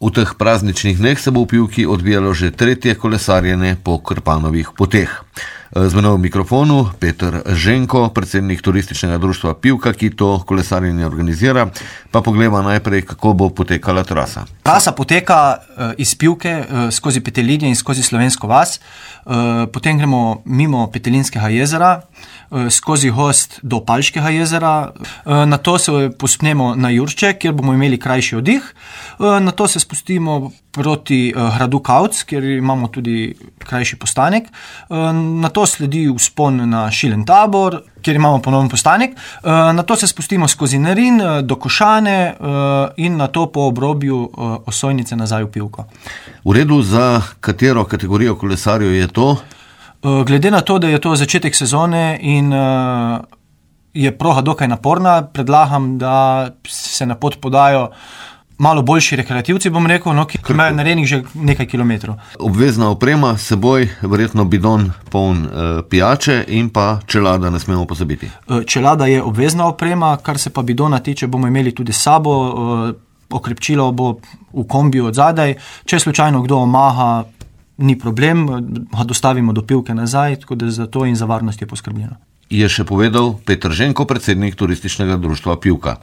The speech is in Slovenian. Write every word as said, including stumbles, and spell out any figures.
V teh prazničnih dneh se bo v Pivki odvijalo že tretje kolesarjenje po Krpanovih poteh. Z menoj v mikrofonu Peter Ženko, predsednik turističnega društva Pivka, ki to kolesarjenje organizira. Pa pogledamo najprej, kako bo potekala trasa. Trasa poteka iz Pivke skozi Petelinje in skozi Slovensko vas. Potem gremo mimo Petelinskega jezera, skozi Gozd do Palškega jezera. Nato se povzpnemo na Jurče, kjer bomo imeli krajši oddih. Nato se spustimo proti gradu Kavc, kjer imamo tudi krajši postanek. Nato sledi vzpon na Šilen tabor, kjer imamo ponoven postanek. Nato se spustimo skozi Nerin do Košane in nato po obrobju Osojnice nazaj v Pivko. V redu, za katero kategorijo kolesarjev je to? Glede na to, da je to začetek sezone in je proga dokaj naporna, predlagam, da se na pot podajo malo boljši rekreativci, bom rekel, no, ki imajo narejenih že nekaj kilometrov. Obvezna oprema, seboj verjetno bidon poln e, pijače in pa čelada ne smemo pozabiti. Čelada je obvezna oprema, kar se pa bidona tiče, bomo imeli tudi s sabo, e, okrepčilo bo v kombiju od zadaj. Če slučajno kdo omaha, ni problem, ga dostavimo do Pivke nazaj, tako da za to in za varnost je poskrbljeno. Je še povedal Peter Ženko, predsednik turističnega društva Pivka.